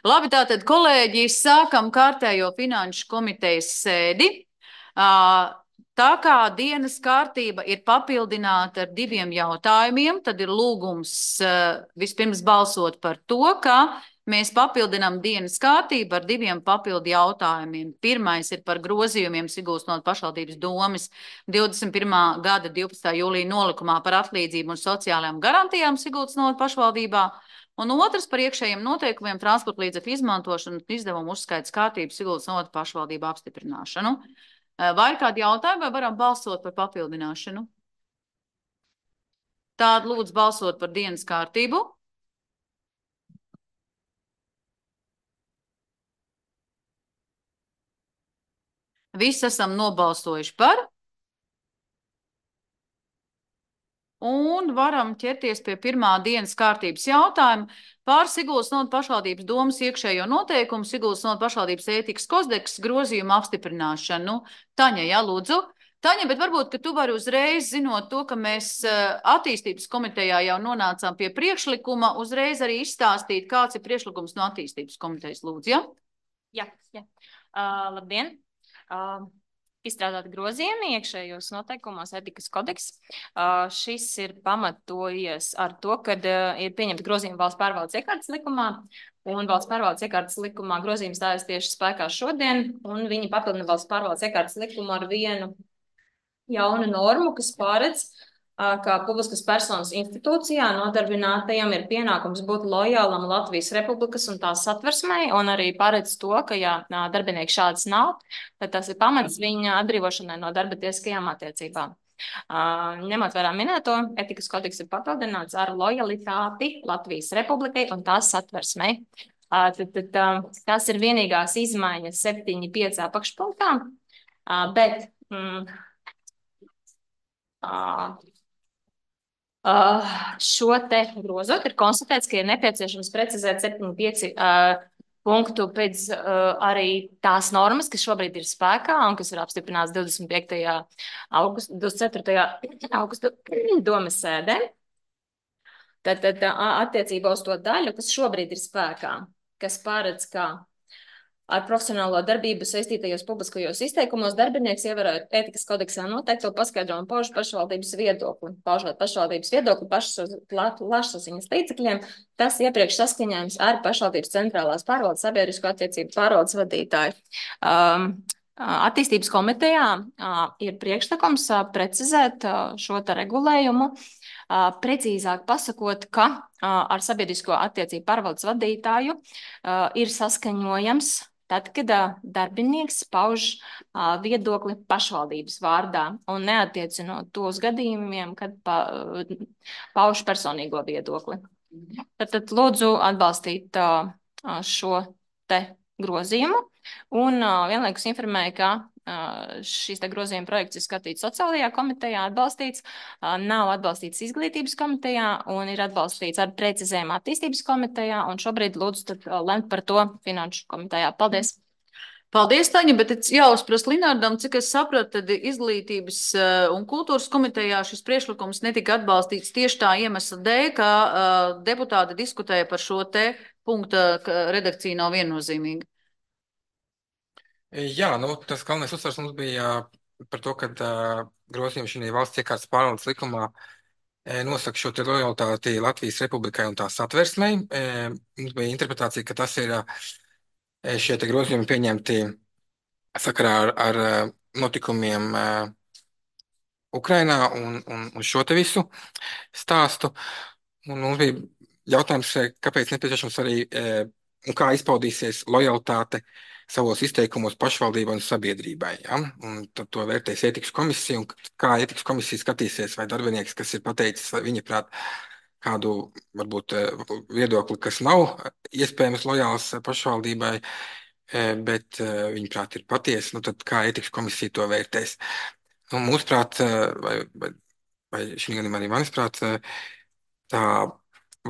Labi, tātad, kolēģi, sākam kārtējo finanšu komitejas sēdi. Tā kā dienas kārtība ir papildināta ar diviem jautājumiem, tad ir lūgums vispirms balsot par to, ka mēs papildinām dienas kārtību ar diviem papildu jautājumiem. Pirmais ir par grozījumiem Sigulsnotu pašvaldības domes 21. gada 12. jūlija nolikumā par atlīdzību un sociālajām garantijām Sigulsnotu pašvaldībā. Un otrs par iekšējiem noteikumiem transporta līdzekļu izmantošanu un izdevumu uzskaits kārtības Sigulsnotu pašvaldību apstiprināšanu. Vai ir kādi jautājumi, vai varam balsot par papildināšanu? Tātad lūdzu balsot par dienas kārtību. Visi esam nobalsojuši par. Un varam ķerties pie pirmā dienas kārtības jautājuma par Sigulsnotu pašvaldības domes iekšējo noteikumu, Sigulsnotu pašvaldības ētikas kodeksa grozījumu apstiprināšanu. Nu, Taņa, jā, lūdzu. Taņa, bet varbūt, ka tu vari uzreiz, zinot to, ka mēs attīstības komitejā jau nonācām pie priekšlikuma, uzreiz arī izstāstīt, kāds ir priekšlikums no attīstības komitejas, lūdzu, ja? Jā. Labdien! Izstrādāt grozījumi iekšējos noteikumos etikas kodeks. Šis ir pamatojies ar to, kad ir pieņemta grozījuma valsts pārvaldes iekārtas likumā, un valsts pārvaldes iekārtas likumā grozījums stājas tieši spēkā šodien, un viņi papildina valsts pārvaldes iekārtas likumu ar vienu jaunu normu, kas paredz, kā publiskas personas institūcijā nodarbinātajam ir pienākums būt lojālam Latvijas Republikas un tās satversmei, un arī paredz to, ka, ja darbinieki šāds nav, tad tas ir pamats viņa atbrīvošanai no darba tiesiskajām attiecībām. Ņemot vērā minēto, etikas kodeks ir papildināts ar lojalitāti Latvijas Republikai un tās satversmei. Tas ir vienīgās izmaiņas 7.5. apakšpunktā, bet šo te grozot ir konstatēts, ka ir nepieciešams precizēt 7.5 punktu pēc arī tās normas, kas šobrīd ir spēkā un kas ir apstiprināts 24. augusta domes sēdē. Tad attiecībā uz to daļu, kas šobrīd ir spēkā, kas paredz, ka ar profesionālo darbību saistītajos publiskajos izteikumos darbinieks ievērojot ētikas kodeksā noteikto paskaidrojumu pauž pašvaldības viedokli. Paužot pašvaldības viedokli plašsaziņas līdzekļiem, tas iepriekš saskaņojums ar pašvaldības centrālās pārvaldes sabiedrisko attiecību pārvaldes vadītāju. Attīstības komitejā ir priekšlikums precizēt šo te regulējumu, precīzāk pasakot, ka ar sabiedrisko attiecību pārvaldes vadītāju ir saskaņojams tad, kad darbinieks pauž viedokli pašvaldības vārdā un neatiecinot tos gadījumiem, kad pauž personīgo viedokli. Tad lūdzu atbalstīt šo te grozījumu un vienlaikus informēju, ka šīs te grozījuma projekts ir skatīts sociālajā komitejā, atbalstīts, nav atbalstīts izglītības komitejā un ir atbalstīts ar precizējumu attīstības komitejā, un šobrīd lūdzu tad lemt par to finanšu komitejā. Paldies! Paldies, Taņa, bet jāuzprast Linardam, cik es sapratu, tad izglītības un kultūras komitejā šis priekšlikums netika atbalstīts tieši tā iemesla dēļ, ka deputāti diskutēja par šo te punkta, ka redakcija nav viennozīmīga. Jā, tas galvenais uzsvars mums bija par to, ka grozījumi šī valsts iekārtas pārvaldes likumā nosaka šo te lojalitāti Latvijas Republikai un tās satversmei. Mums bija interpretācija, ka tas ir šie te grozījumi pieņemti sakarā ar notikumiem Ukrainā un šo te visu stāstu. Un mums bija jautājums, kāpēc nepieciešams arī un kā izpaudīsies lojalitāte savos izteikumos pašvaldībai un sabiedrībai. Ja? Un tad to vērtēs ētikas komisija, un kā ētikas komisija skatīsies, vai darbinieks, kas ir pateicis, vai viņa prāt kādu varbūt viedokli, kas nav iespējams lojāls pašvaldībai, bet viņa prāt ir patiesa, tad kā ētikas komisija to vērtēs. Mūsuprāt, vai šī gadījumā arī manisprāt, tā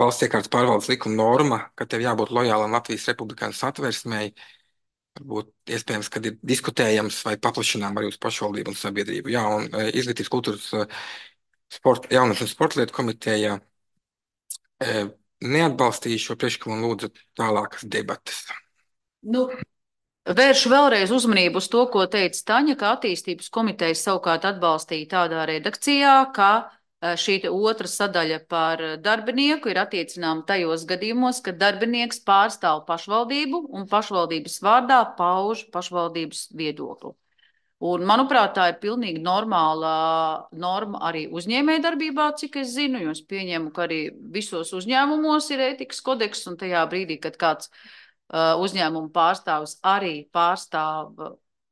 valsts iekārtas pārvaldes likuma norma, ka tev jābūt lojālam Latvijas Republikai un satversmei, varbūt iespējams, kad ir diskutējams vai paplašinām arī uz pašvaldību un sabiedrību. Jā, un izglītības kultūras jaunas un sporta lietu komiteja neatbalstīju šo priekšlikumu un lūdzu tālākas debatas. Nu, vēršu vēlreiz uzmanību uz to, ko teica Taņa, ka attīstības komiteja savukārt atbalstīja tādā redakcijā, ka šī otra sadaļa par darbinieku ir attiecināma tajos gadījumos, kad darbinieks pārstāv pašvaldību un pašvaldības vārdā pauž pašvaldības viedokli. Un, manuprāt, tā ir pilnīgi normāla norma arī uzņēmējdarbībā, cik es zinu, jo es pieņemu, ka arī visos uzņēmumos ir ētikas kodeks, un tajā brīdī, kad kāds uzņēmuma pārstāvis arī pārstāv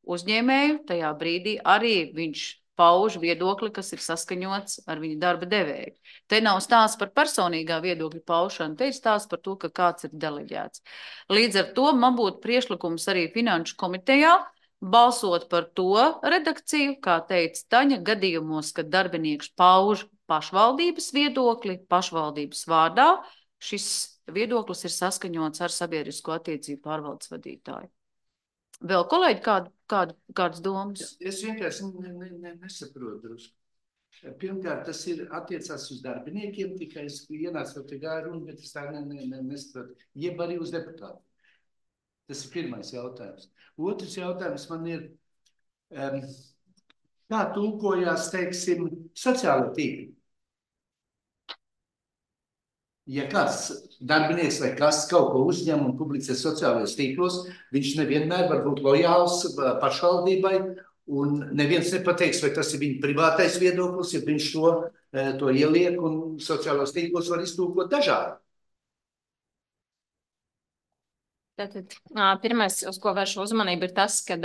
uzņēmēju, tajā brīdī arī viņš pauž viedokli, kas ir saskaņots ar viņa darba devēju. Te nav stāsts par personīgā viedokļa paušanu, te ir stāsts par to, ka kāds ir deleģēts. Līdz ar to man būtu priešlikums arī Finanšu komitejā balsot par to redakciju, kā teica Taņa, gadījumos, kad darbinieks pauž pašvaldības viedokli, pašvaldības vārdā, šis viedoklis ir saskaņots ar sabiedrisko attiecību pārvaldes vadītāju. Vēl kolēģi kādas domas? Es vienkārši nesaprotu drusku. Pirmkārt, tas ir attiecās uz darbiniekiem, tikai es ienācu te gāju runu, bet es tā nesaprotu. Jeb arī uz deputātiem. Tas ir pirmais jautājums. Otrs jautājums man ir, kā tulkojās, teiksim, sociāla tīkla? Ja kāds darbinieks vai kas kaut ko uzņem un publicē sociālajos tīklos, viņš nevienmēr var būt lojāls pašvaldībai, un neviens nepateiks, vai tas ir viņa privātais viedoklis, ja viņš to ieliek un sociālos tīklos var iztulkot dažādi. Tātad, pirmais, uz ko vēršu uzmanību, ir tas, ka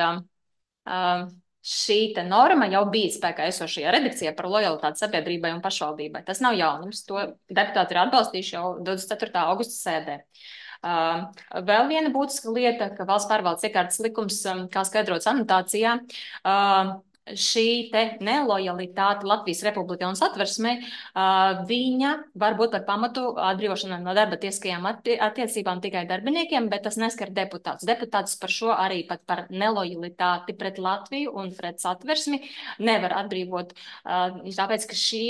šī norma jau bija spēkā esošajā redakcijā par lojalitāti sabiedrībai un pašvaldībai. Tas nav jaunums. To deputāti ir atbalstījuši jau 24. augusta sēdē. Vēl viena būtiska lieta, ka valsts pārvaldes iekārtas likums, kā skaidrots anotācijā, šī te nelojalitāte Latvijas Republikai un Satversmei, viņa var būt par pamatu atbrīvošanai no darba tiesiskajām attiecībām tikai darbiniekiem, bet tas neskar deputātus. Deputātus par šo arī pat par nelojalitāti pret Latviju un pret Satversmi nevar atbrīvot, tāpēc, ka šī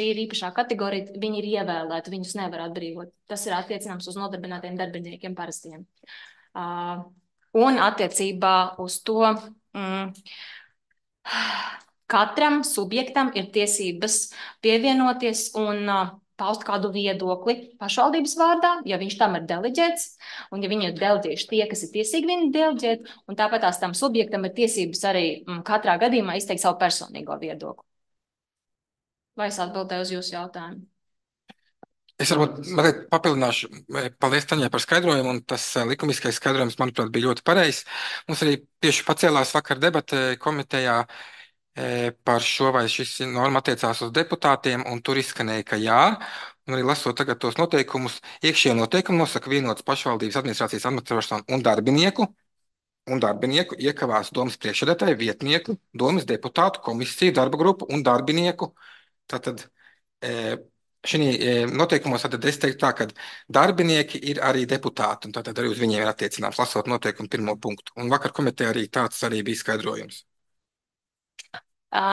ir īpašā kategorija, viņi ir ievēlēti, viņus nevar atbrīvot. Tas ir attiecināms uz nodarbinātiem darbiniekiem parastiem. Un attiecībā uz to, katram subjektam ir tiesības pievienoties un paust kādu viedokli pašvaldības vārdā, ja viņš tam ir deleģēts, un ja viņi ir deleģējuši tie, kas ir tiesīgi viņu deleģēt, un tāpat tās tam subjektam ir tiesības arī katrā gadījumā izteikt savu personīgo viedokli. Vai es atbildēju uz jūsu jautājumu? Es varbūt papildināšu, paldies Taņai par skaidrojumu, un tas likumiskais skaidrojums, manuprāt, bija ļoti pareizs. Mums arī tieši pacēlās vakar debate komitejā par šo, vai šis norma attiecās uz deputātiem, un tur izskanēja, ka jā, un arī lasot tagad tos noteikumus, iekšējie noteikumi nosaka vienotas pašvaldības administrācijas administrēšanu un darbinieku iekavās domas priekšsēdētāju, vietnieku, domas deputātu, komisiju, darba grupu un darbinieku. Tātad šī noteikumos tad es teiktu tā, ka darbinieki ir arī deputāti, un tātad arī uz viņiem ir attiecināms, lasot noteikumu pirmo punktu. Un vakar komitejā arī tāds arī bija skaidrojums.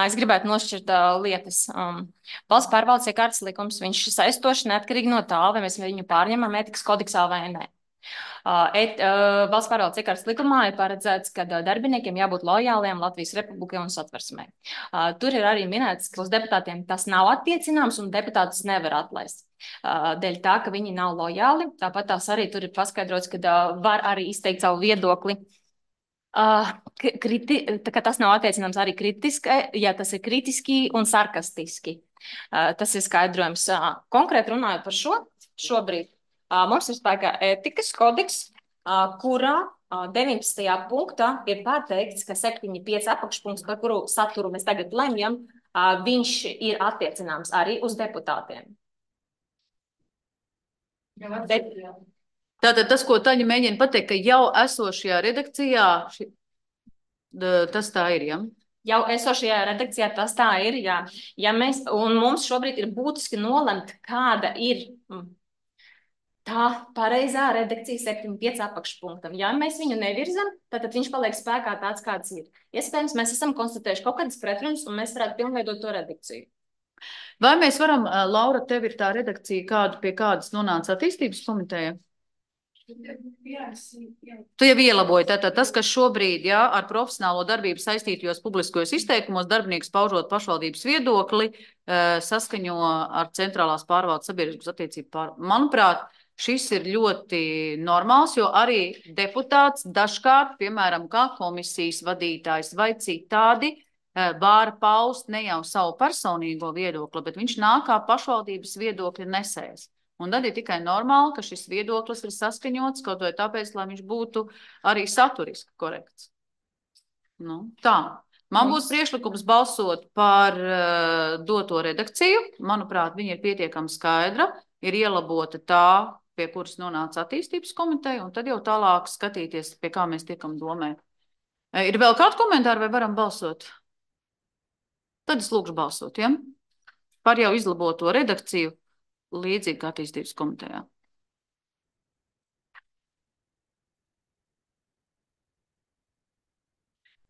Es gribētu nošķirt lietas. Valsts pārvaldes iekārtas likums, viņš ir saistošs neatkarīgi no tā, vai mēs viņu pārņemam ētikas kodeksā vai nē. Valsts pārvaldes iekārtas likumā ir paredzēts, ka darbiniekiem jābūt lojāliem Latvijas Republikai un Satversmei. Tur ir arī minēts, ka uz deputātiem tas nav attiecināms un deputātus nevar atlaist. Dēļ tā, ka viņi nav lojāli, tāpat tās arī tur ir paskaidrots, ka var arī izteikt savu viedokli. Ka tas nav attiecināms arī kritiski, ja tas ir kritiski un sarkastiski. Tas ir skaidrojums. Konkrēti runājot par šobrīd, mums ir spēkā ētikas kodeks, kurā 19. punktā ir pateikts, ka 7.5 apakšpunkts, par kuru saturu mēs tagad lemjam, viņš ir attiecināms arī uz deputātiem. Tātad tas, ko Taņa mēģina pateikt, ka jau esošajā redakcijā tas tā ir, ja? Jau esošajā redakcijā tas tā ir, jā. Un mums šobrīd ir būtiski nolemt, kāda ir tā pareizā redakcija 7.5 apakšpunktam. Ja mēs viņu nevirzam, tad viņš paliek spēkā tāds, kāds ir. Iespējams, mēs esam konstatējuši kaut kādas pretrunas, un mēs varētu pilnveidot to redakciju. Vai mēs varam, Laura, tev ir tā redakcija, pie kādas nonāca attīstības komiteja? Tu jau ielaboji, tātad tas, kas šobrīd, ar profesionālo darbību saistītajos publiskajos izteikumos, darbinieks paužot pašvaldības viedokli, saskaņo ar centrālās pārvaldes sabiedrības attiecību Manuprāt, šis ir ļoti normāls, jo arī deputāts dažkārt, piemēram, kā komisijas vadītājs vai citādi, var paust ne jau savu personīgo viedokli, bet viņš nāk kā pašvaldības viedokļa nesējs. Un tad ir tikai normāli, ka šis viedoklis ir saskaņots kaut vai tāpēc, lai viņš būtu arī saturiski korekts. Tā. Man būs priekšlikums balsot par doto redakciju. Manuprāt, viņa ir pietiekami skaidra, ir ielabota tā, pie kuras nonāca attīstības komiteja, un tad jau tālāk skatīties, pie kā mēs tiekam domē. Ir vēl kādi komentāri vai varam balsot? Tad es lūkšu balsot, ja? Par jau izlaboto redakciju. Līdzīgi kā attīstības komitejā.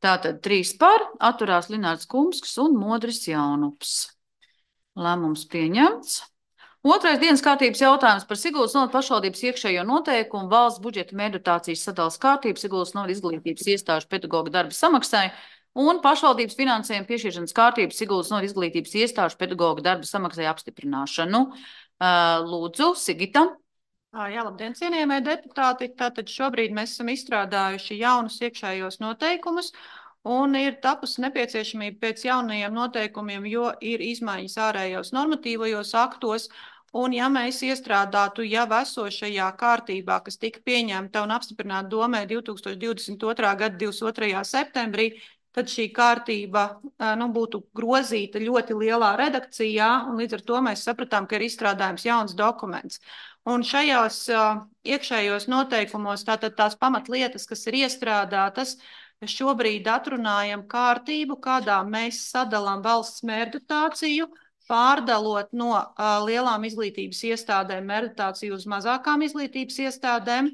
Tātad 3 par, atturās Linārds Kumsks un Modris Jaunups. Lēmums pieņemts. Otrais dienas kārtības jautājums par Siguldas novada pašvaldības iekšējo noteikumu valsts budžeta meditācijas sadalas kārtību Siguldas novada izglītības iestāžu pedagoga darba samaksai un pašvaldības finansējuma piešķiršanas kārtību Siguldas novada izglītības iestāžu pedagoga darba samaksai apstiprināšanu. Lūdzu, Sigita. Jā, labdien, cienījamie deputāti. Tātad šobrīd mēs esam izstrādājuši jaunus iekšējos noteikumus un ir tapusi nepieciešamība pēc jaunajiem noteikumiem, jo ir izmaiņas ārējos normatīvajos aktos. Un ja mēs iestrādātu jau esošajā kārtībā, kas tika pieņemta un apstiprināta domē 2022. gada 22. septembrī, tad šī kārtība būtu grozīta ļoti lielā redakcijā, un līdz ar to mēs sapratām, ka ir izstrādājums jauns dokuments. Un šajos iekšējos noteikumos, tātad tās pamatlietas, kas ir iestrādātas, šobrīd atrunājam kārtību, kādā mēs sadalām valsts mērdotāciju, pārdalot no lielām izglītības iestādēm mērdotāciju uz mazākām izglītības iestādēm.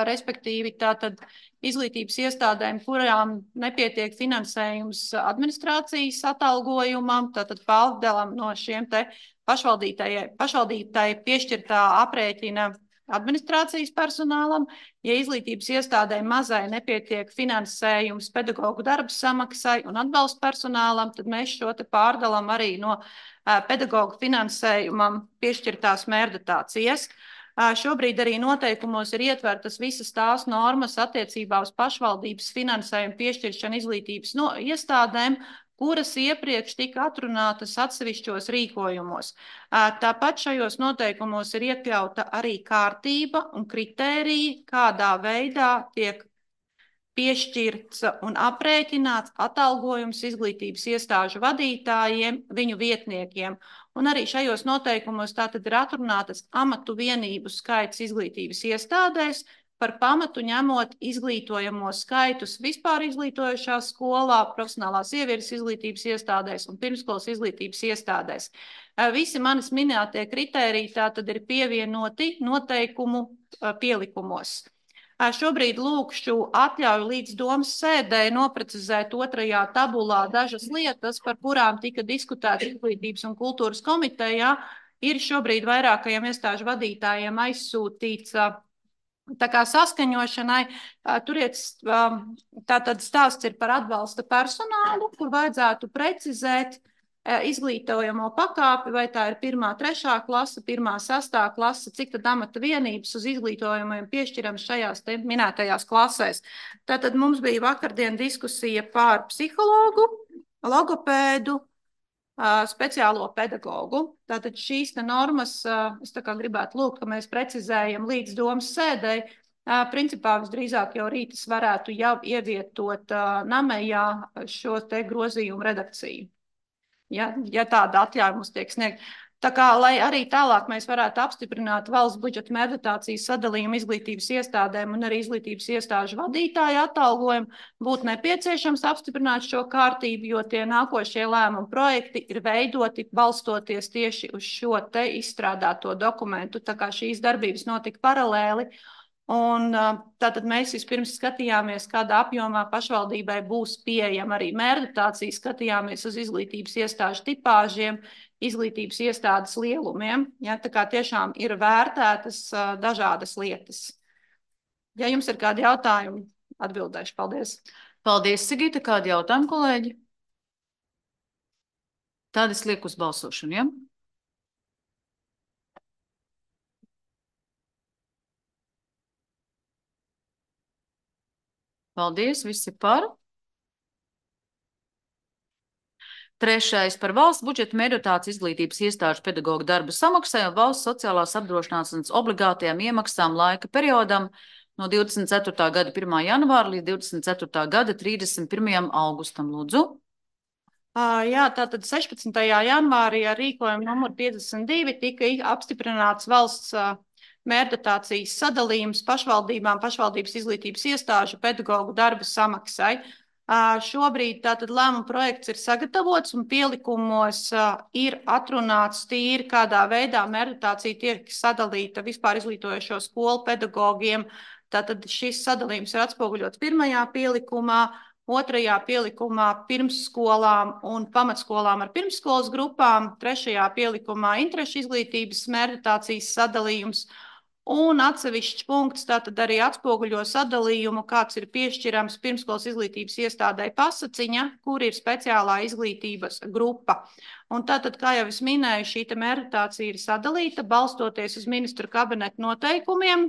Respektīvi tātad izglītības iestādēm, kurām nepietiek finansējums administrācijas atalgojumam, tātad pārdalam no šiem te pašvaldītāji piešķirtā aprēķina administrācijas personālam. Ja izglītības iestādēm mazai nepietiek finansējums pedagogu darba samaksai un atbalsta personālam, tad mēs šo te pārdalam arī no pedagogu finansējumam piešķirtās mērdotācijas. Šobrīd arī noteikumos ir ietvertas visas tās normas attiecībā uz pašvaldības finansējumu piešķiršanu izglītības iestādēm, kuras iepriekš tika atrunātas atsevišķos rīkojumos. Tāpat šajos noteikumos ir iekļauta arī kārtība un kritēriji, kādā veidā tiek piešķirts un aprēķināts atalgojums izglītības iestāžu vadītājiem, viņu vietniekiem. Un arī šajos noteikumos tātad ir atrunātas amatu vienību skaits izglītības iestādēs, par pamatu ņemot izglītojamo skaitus vispār izglītojošās skolā, profesionālās ievieres izglītības iestādēs un pirmskolas izglītības iestādēs. Visi manis minētie kritēriji tātad ir pievienoti noteikumu pielikumos. Šobrīd lūkšu atļauju līdz domas sēdē noprecizēt 2. tabulā dažas lietas, par kurām tika diskutēts Izglītības un kultūras komitejā. Ir šobrīd vairākajiem iestāžu vadītājiem aizsūtīts tā kā saskaņošanai. Tātad stāsts ir par atbalsta personālu, kur vajadzētu precizēt izglītojamo pakāpi, vai tā ir 1., 3. klase, 1., 6. klase, cik tad amata vienības uz izglītojumiem piešķirams šajās te minētajās klasēs. Tātad mums bija vakardien diskusija par psihologu, logopēdu, speciālo pedagogu. Tātad šīs normas, es tā kā gribētu lūgt, ka mēs precizējam līdz domas sēdei. Principā visdrīzāk jau rītas varētu jau ievietot namējā šo te grozījumu redakciju. Ja tāda atļauja mums tiek sniegt. Tā kā, lai arī tālāk mēs varētu apstiprināt valsts budžeta meditācijas sadalījumu izglītības iestādēm un arī izglītības iestāžu vadītāju atalgojumu, būtu nepieciešams apstiprināt šo kārtību, jo tie nākošie lēmumu projekti ir veidoti balstoties tieši uz šo te izstrādāto dokumentu. Tā kā šīs darbības notika paralēli. Un tātad mēs vispirms skatījāmies, kādā apjomā pašvaldībai būs pieejama arī mērdotācija, skatījāmies uz izglītības iestāžu tipāžiem, izglītības iestādes lielumiem. Ja, tā kā tiešām ir vērtētas dažādas lietas. Ja jums ir kādi jautājumi, atbildēšu. Paldies. Paldies, Sigita. Kādi jautājumi, kolēģi? Tad es lieku uz balsošanu, ja? Paldies, visi par. Trešais par valsts budžeta mērķotāts izglītības iestāžu pedagoģu darba samaksai un valsts sociālās apdrošināšanas obligātajām iemaksām laika periodam no 24. gada 1. janvāra līdz 24. gada 31. augustam. Lūdzu. Jā, tātad 16. janvārī ar rīkojumu numuru 52 tika apstiprināts valsts mērķotācijas sadalījums pašvaldībām, pašvaldības izglītības iestāžu pedagoģu darba samaksai. Šobrīd tātad lēmuma projekts ir sagatavots un pielikumos ir atrunāts tīri, kādā veidā mērķotācija tiek sadalīta vispār izglītojošo skolu pedagogiem. Tātad šis sadalījums ir atspoguļots 1. pielikumā, 2. pielikumā pirmsskolām un pamatskolām ar pirmsskolas grupām, 3. pielikumā interešu izglītības mērķotācijas sadalījums. Un atsevišķs punkts tātad arī atspoguļo sadalījumu, kāds ir piešķirams pirmskolas izglītības iestādē Pasaciņa, kur ir speciālā izglītības grupa. Un tātad, kā jau es minēju, šī mērķotācija ir sadalīta, balstoties uz ministru kabineta noteikumiem,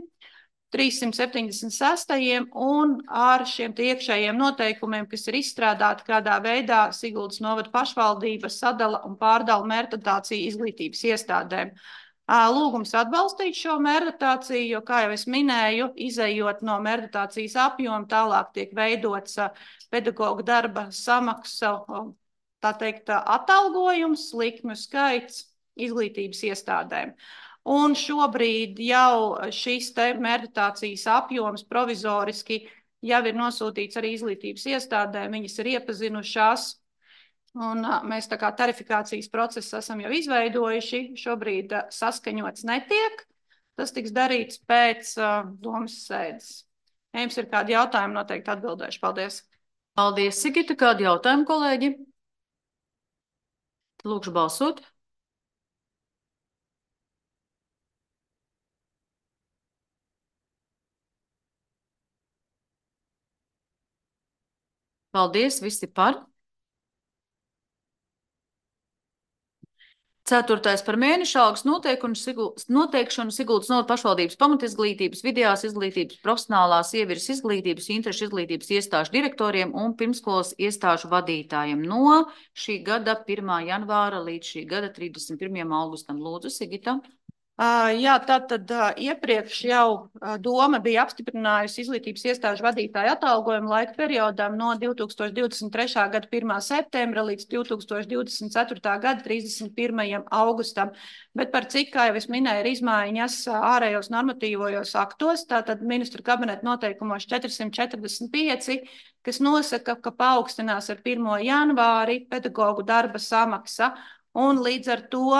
376. un ar šiem iekšējiem noteikumiem, kas ir izstrādāti, kādā veidā Siguldas novada pašvaldība sadala un pārdala mērķotāciju izglītības iestādēm. Lūgums atbalstīt šo mērķotāciju, jo, kā jau es minēju, izejot no mērķotācijas apjoma, tālāk tiek veidots pedagoģu darba samaksa, tā teikt, atalgojums, likmju skaits izglītības iestādēm. Un šobrīd jau šis mērķotācijas apjoms provizoriski jau ir nosūtīts arī izglītības iestādēm, viņas ir iepazinušās. Un mēs tā kā tarifikācijas procesu esam jau izveidojuši, šobrīd saskaņots netiek. Tas tiks darīts pēc domas sēdes. Ja jums ir kādi jautājumi, noteikti atbildēšu. Paldies. Paldies, Sigita. Kādi jautājumi, kolēģi? Lūkšu balsot. Paldies, visi par. 4. par mēneša algas noteikšanu Siguldas novada pašvaldības pamatizglītības, vidējās izglītības, profesionālās ieviras izglītības, interešu izglītības iestāžu direktoriem un pirmskolas iestāžu vadītājiem no šī gada 1. janvāra līdz šī gada 31. augustam. Lūdzu, Sigita. Jā, tātad iepriekš jau doma bija apstiprinājusi izglītības iestāžu vadītāju atalgojumu laika periodam no 2023. gada 1. septembra līdz 2024. gada 31. augustam. Bet par cik, kā jau es minēju, ir izmaiņas ārējos normatīvojos aktos, tātad ministru kabineta noteikumos 445, kas nosaka, ka paaugstinās ar 1. janvāri pedagoģu darba samaksa. Un līdz ar to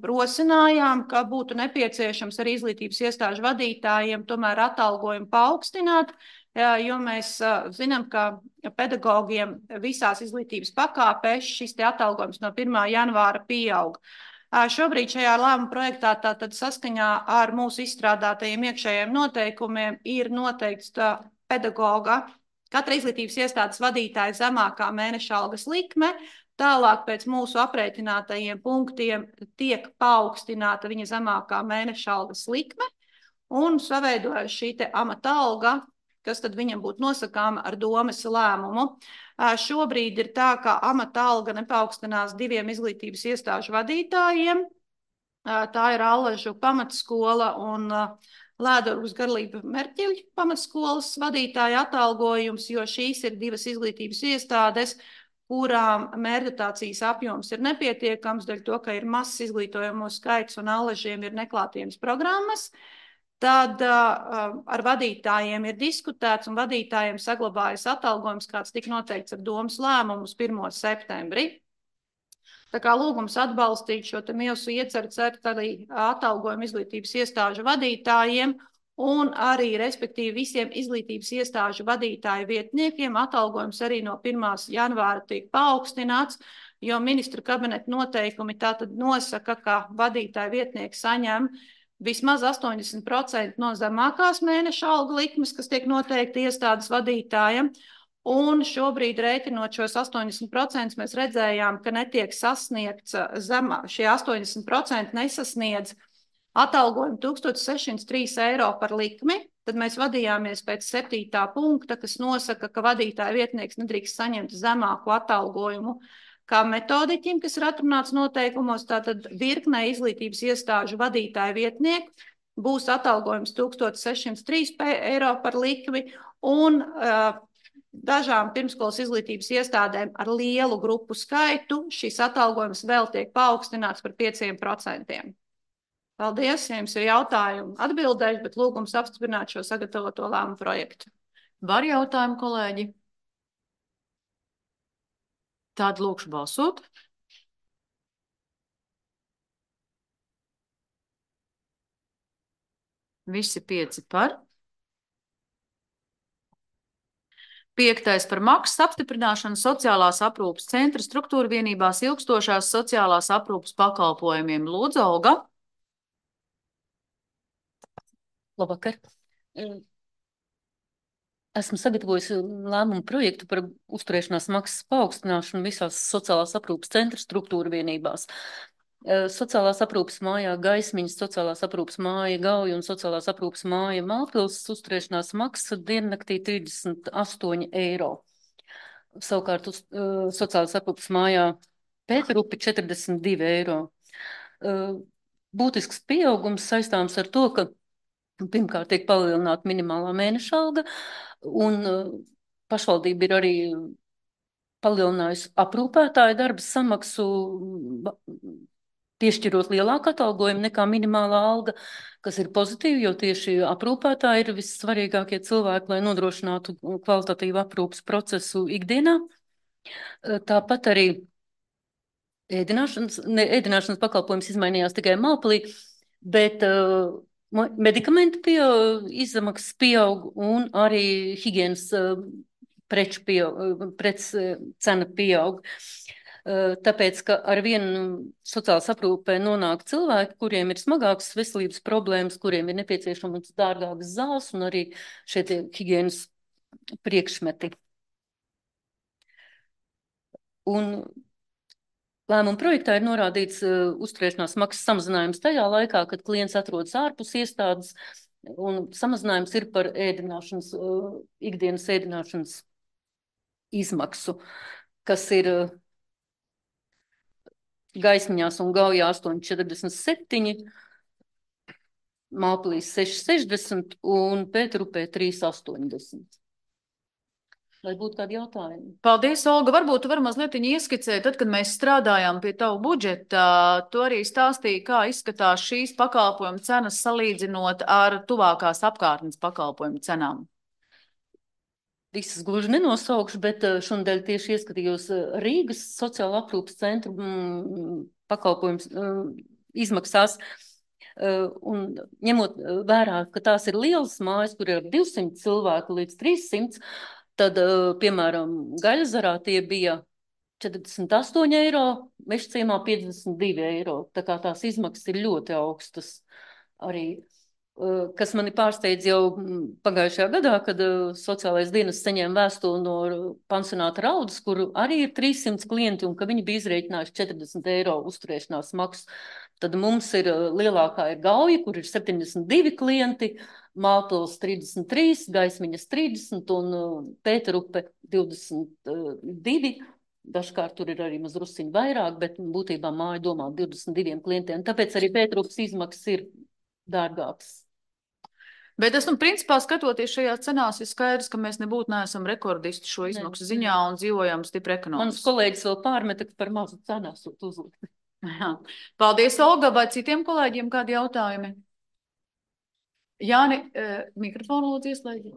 rosinājām, ka būtu nepieciešams arī izglītības iestāžu vadītājiem tomēr atalgojumu paaugstināt, jo mēs zinām, ka pedagogiem visās izglītības pakāpēs šis atalgojums no 1. janvāra pieaug. Šobrīd šajā lēmuma projektā tātad saskaņā ar mūsu izstrādātajiem iekšējiem noteikumiem ir noteikts pedagoga, katra izglītības iestādes vadītāja zemākā mēneša algas likme. Tālāk pēc mūsu aprēķinātajiem punktiem tiek paaugstināta viņa zemākā mēneša algas likme un saveidojas šī amata alga, kas tad viņam būtu nosakāma ar domes lēmumu. Šobrīd ir tā, ka amata alga nepaukstinās 2 izglītības iestāžu vadītājiem. Tā ir Allažu pamatskola un Lēdorgas Garlība Merķeļa pamatskolas vadītāja atalgojums, jo šīs ir 2 izglītības iestādes, kurām mērķotācijas apjoms ir nepietiekams, dēļ to, ka ir mazs izglītojamo skaits un Allažiem ir neklātienes programmas. Tad ar vadītājiem ir diskutēts un vadītājiem saglabājas atalgojums, kāds tika noteikts ar domas lēmumu uz 1. septembri. Tā kā lūgums atbalstīt šo mūsu ieceru cert arī atalgojumu izglītības iestāžu vadītājiem un arī, respektīvi, visiem izglītības iestāžu vadītāju vietniekiem atalgojums arī no 1. janvāra tiek paaugstināts, jo ministru kabineta noteikumi tātad nosaka, ka vadītāju vietnieki saņem vismaz 80% no zemākās mēneša alga likmes, kas tiek noteikti iestādes vadītājiem. Un šobrīd, rēķinot šos 80%, mēs redzējām, ka netiek sasniegts šie 80% nesasniedz atalgojumu 1603 eiro par likmi. Tad mēs vadījāmies pēc 7. punkta, kas nosaka, ka vadītāja vietnieks nedrīkst saņemt zemāku atalgojumu kā metodiķim, kas ir atrunāts noteikumos. Tātad virknē izglītības iestāžu vadītāja vietnieku būs atalgojums 1603 eiro par likmi un dažām pirmskolas izglītības iestādēm ar lielu grupu skaitu šis atalgojums vēl tiek paaugstināts par 5%. Paldies, ja jums ir jautājumi atbildēšu, bet lūgums apstiprināt šo sagatavoto lēmumu projektu. Var jautājumu, kolēģi? Tad lūkšu balsot. Visi 5 par. 5. par maksas apstiprināšanu sociālās aprūpes centra struktūra vienībās ilgstošās sociālās aprūpes pakalpojumiem. Lūdzu, Olga. Labvakar. Esmu sagatavojusi lēmumu projektu par uzturēšanās maksas paaugstināšanu visās sociālās aprūpes centra struktūra vienībās. Sociālās aprūpes mājā Gaismiņas, sociālās aprūpes māja Gauja un sociālās aprūpes māja Mālpils uzturēšanās maksa diennaktī 38 eiro. Savukārt sociālās aprūpes mājā Pēterupi 42 eiro. Būtisks pieaugums saistāms ar to, ka pirmkārt tiek palielināta minimālā mēneša alga, un pašvaldība ir arī palielinājusi aprūpētāju darba samaksu, piešķirot lielāku atalgojumu nekā minimālā alga, kas ir pozitīvi, jo tieši aprūpētāji ir vissvarīgākie cilvēki, lai nodrošinātu kvalitatīvu aprūpas procesu ikdienā. Tāpat arī ēdināšanas pakalpojums izmainījās tikai Mālpilī, bet medikamentu izmaksas pieaug un arī higienas preču cena pieaug. Tāpēc, ka ar vienu sociālas aprūpē nonāk cilvēki, kuriem ir smagākas veselības problēmas, kuriem ir nepieciešamas dārgākas zāles un arī šie higienas priekšmeti. Un lēmuma projektā ir norādīts uzturēšanās maksas samazinājums tajā laikā, kad klients atrodas ārpus iestādes, un samazinājums ir par ikdienas ēdināšanas izmaksu, kas ir Gaismiņās un Gaujā 8,47, Mālpilī 6,60 un Pēterupē 3,80. Vai būtu kādi jautājumi? Paldies, Olga. Varbūt tu vari mazliet ieskicēt, tad, kad mēs strādājām pie tavu budžeta, tu arī stāstīji, kā izskatās šīs pakalpojumu cenas salīdzinot ar tuvākās apkārtnes pakalpojumu cenām. Visas gluži nenosaukšu, bet šonadēļ tieši ieskatījos Rīgas sociāla aprūpes centru pakalpojums izmaksās. Un ņemot vērā, ka tās ir lielas mājas, kur ir 200 cilvēku līdz 300, tad, piemēram, Gaļazarā tie bija 48 eiro, Mežciemā 52 eiro. Tā kā tās izmaksas ir ļoti augstas arī. Kas mani pārsteidz jau pagājušajā gadā, kad sociālais dienas saņēma vēstuli no pansionāta Raudas, kur arī ir 300 klienti un ka viņi bija izrēķinājuši 40 eiro uzturēšanās maksu. Tad mums ir lielākā ir Gauja, kur ir 72 klienti, Mālpils 33, Gaismiņas 30 un Pēterupe 22. Dažkārt tur ir arī mazrusiņi vairāk, bet būtībā māja domā 22 klientiem. Tāpēc arī Pēterupes izmaksas ir dārgāks. Bet principā, skatoties šajā cenās, ir skaidrs, ka mēs nebūtu neesam rekordisti šo izmaksu ziņā un dzīvojam stipri ekonomiski. Mans kolēģis vēl pārmeta, ka par mazu cenu esot uzlikt. Paldies, Olga. Vai citiem kolēģiem kādi jautājumi? Jāni, mikrofonu lūdzu ieslēdzi.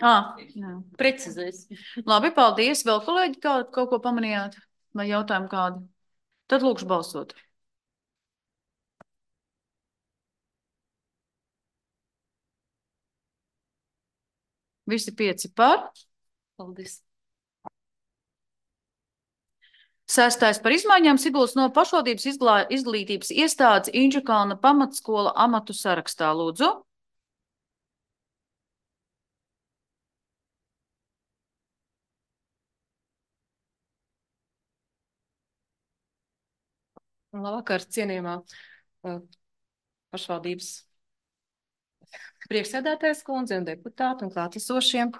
Jā. Precizēs. Labi, paldies. Vēl kolēģi kaut ko pamanījāt? Vai jautājumu kādu? Tad lūkšu balsot. Visi 5 par. Paldies. 6. par izmaiņām Siguldas no pašvaldības izglītības iestādes Inčukalna pamatskola amatu sarakstā. Lūdzu. Labvakar, cienījamā pašvaldības priekšsēdētājas kundze un deputāti un klātesošie.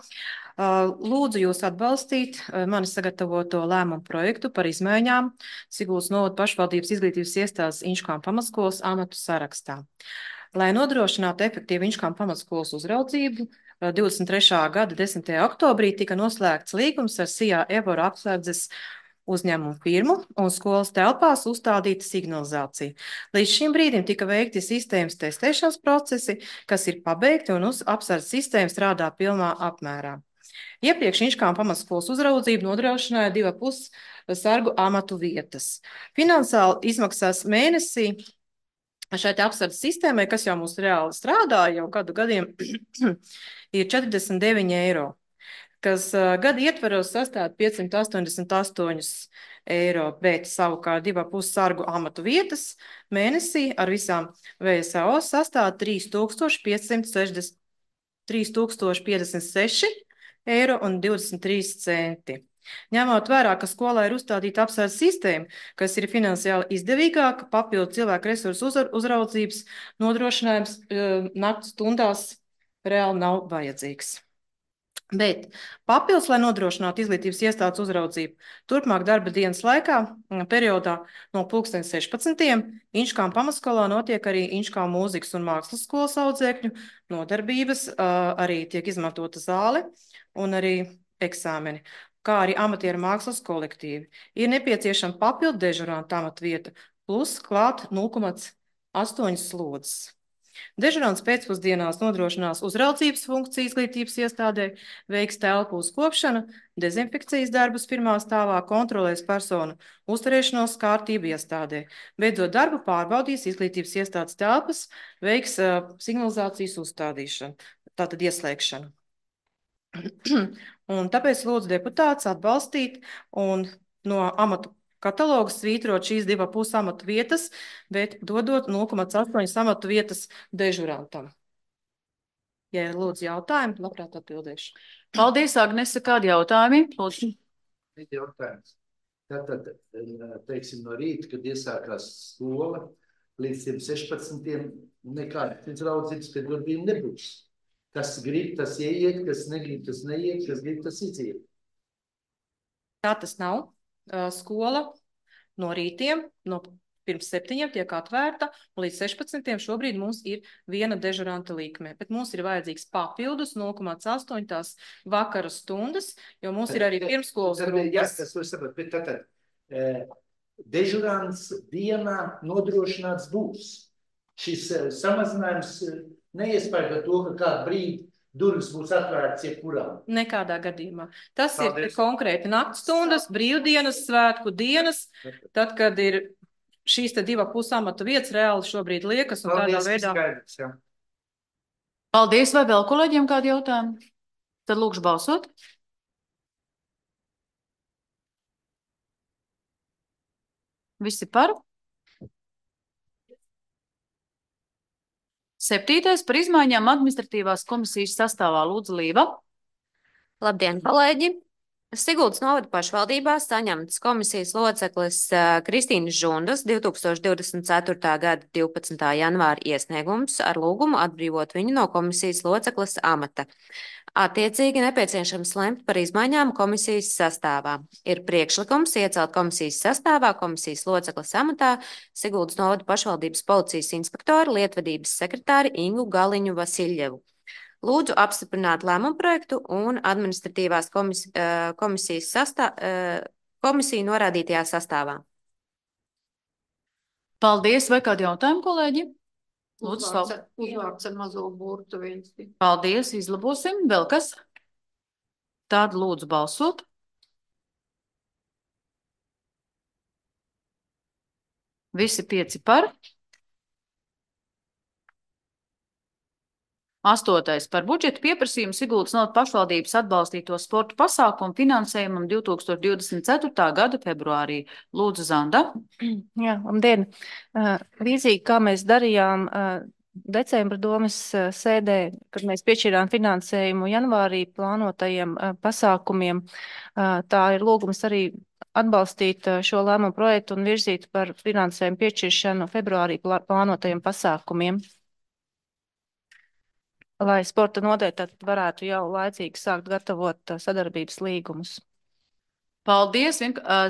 Lūdzu jūs atbalstīt mani sagatavoto lēmumu projektu par izmaiņām Siguldas novada pašvaldības izglītības iestādes Inčukalna pamatskolas amatu sarakstā. Lai nodrošinātu efektīvu Inčukalna pamatskolas uzraudzību, 23. gada 10. oktobrī tika noslēgts līgums ar SIA Evora apsardzes uzņēmumu firmu un skolas telpās uzstādīta signalizācija. Līdz šim brīdim tika veikti sistēmas testēšanas procesi, kas ir pabeigti un apsardzes sistēma strādā pilnā apmērā. Iepriekš Inčukalna pamatskolas uzraudzību nodrošināja 2,5 sargu amatu vietas. Finansiāli izmaksās mēnesī šai apsardzes sistēmai, kas jau mums reāli strādā jau gadu gadiem, ir 49 eiro, kas gada ietvaros sastāv 588 eiro, bet savukārt 2,5 sargu amatu vietas mēnesī ar visām VSAO sastāv 3056 eiro un 23 centi. Ņemot vērā, ka skolā ir uzstādīta apsardzes sistēma, kas ir finansiāli izdevīgāka, papildu cilvēku resursu uzraudzības nodrošinājums nakts stundās reāli nav vajadzīgs. Bet papildus, lai nodrošinātu izglītības iestādes uzraudzību, turpmāk darba dienas laikā, periodā no 16. Inčukalna pamatskolā notiek arī Inčukalna mūzikas un mākslas skolas audzēkņu nodarbības, arī tiek izmantota zāle un arī eksāmeni, kā arī amatieru mākslas kolektīvi. Ir nepieciešama papildu dežuranta amatvieta, plus klāt 0,8 slodzes. Dežurants pēcpusdienās nodrošinās uzraudzības funkciju izglītības iestādē, veiks telpu uzkopšanu, dezinfekcijas darbus pirmā stāvā, kontrolēs personu uzturēšanos kārtību iestādē. Beidzot darbu pārbaudīs izglītības iestādes telpas, veiks signalizācijas uzstādīšanu, tātad ieslēgšanu. Un tāpēc lūdzu deputātus atbalstīt un no amatu katalogu svītrot šīs 2,5 amatu vietas, bet dodot 0,8 amatu vietas dežurantam. Ja ir lūdzu jautājumi, labprāt atbildēšu. Paldies, Agnese. Kādi jautājumi? Lūdzu. Jautājums. Tātad, teiksim, no rīta, kad iesākās skola, līdz 16. nekādas izraudzības, kad darbība nebūs. Kas grib, tas ieiet, kas negrib, tas neiet, kas grib, tas iziet. Tā tas nav. Skola no rītiem, no pirms 7 tiek atvērta, un līdz 16 šobrīd mums ir viena dežuranta likme, bet mums ir vajadzīgs papildus 0,8 tās vakara stundas, jo mums ir arī pirmskolas grupas. Jā, tas var saprot, bet tātad dežurants dienā nodrošināts būs. Šis samazinājums neiespēja to, ka kādu brīdi durvis būs atvērts jebkurām. Nekādā gadījumā. Tas ir konkrēti naktstundas, brīvdienas, svētku dienas, tad, kad ir šīs te 2,5 amatu vietas reāli šobrīd liekas un tādā veidā. Skaidrs, jā. Paldies, vai vēl kolēģiem kādi jautājumi? Tad lūkšu balsot. Visi par? 7. par izmaiņām administratīvās komisijas sastāvā. Lūdzu, Līva. Labdien, kolēģi! Siguldas novada pašvaldībā saņemts komisijas loceklis Kristīnas Žundas 2024. gada 12. janvāra iesniegums ar lūgumu atbrīvot viņu no komisijas loceklis amata. Attiecīgi nepieciešams lemt par izmaiņām komisijas sastāvā. Ir priekšlikums iecelt komisijas sastāvā komisijas loceklis amatā Siguldas novada pašvaldības policijas inspektoru lietvedības sekretāri Ingu Galiņu Vasiljevu. Lūdzu apstiprināt lēmumu projektu un administratīvās komisijas komisiju norādītajā sastāvā. Paldies, vai kādi jautājumi, kolēģi? Lūdzu, Uzvārds ar mazo burtu viens. Paldies, izlabosim. Vēl kas? Tad lūdzu balsot. Visi 5 par. 8. par budžetu pieprasījumu Siguldas novada pašvaldības atbalstīto sporta pasākumu finansējumam 2024. gada februārī. Lūdzu, Zanda. Jā, labdien. Līdzīgi kā mēs darījām decembra domas sēdē, kad mēs piešķirām finansējumu janvārī plānotajiem pasākumiem, tā ir lūgums arī atbalstīt šo lēmumu projektu un virzīt par finansējumu piešķiršanu februārī plānotajiem pasākumiem, lai sporta nodeļa tad varētu jau laicīgi sākt gatavot sadarbības līgumus. Paldies.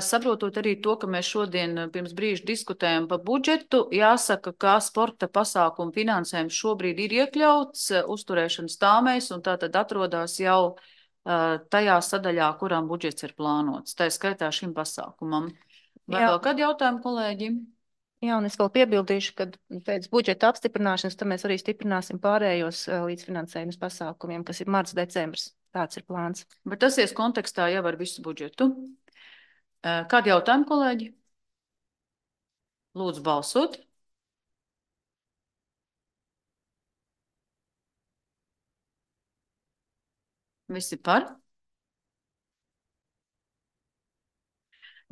Saprotot arī to, ka mēs šodien pirms brīža diskutējam par budžetu, jāsaka, ka sporta pasākumu finansējums šobrīd ir iekļauts uzturēšanas tāmēs un tātad atrodas jau tajā sadaļā, kurām budžets ir plānots. Tā skaitā šim pasākumam. Vai vēl kādi jautājumi, kolēģi? Jā, un es vēl piebildīšu, ka pēc budžeta apstiprināšanas tad mēs arī stiprināsim pārējos līdzfinansējumus pasākumiem, kas ir marts, decembris. Tāds ir plāns. Bet tas ies kontekstā jau ar visu budžetu. Kādi jautājumi, kolēģi? Lūdzu balsot. Visi par.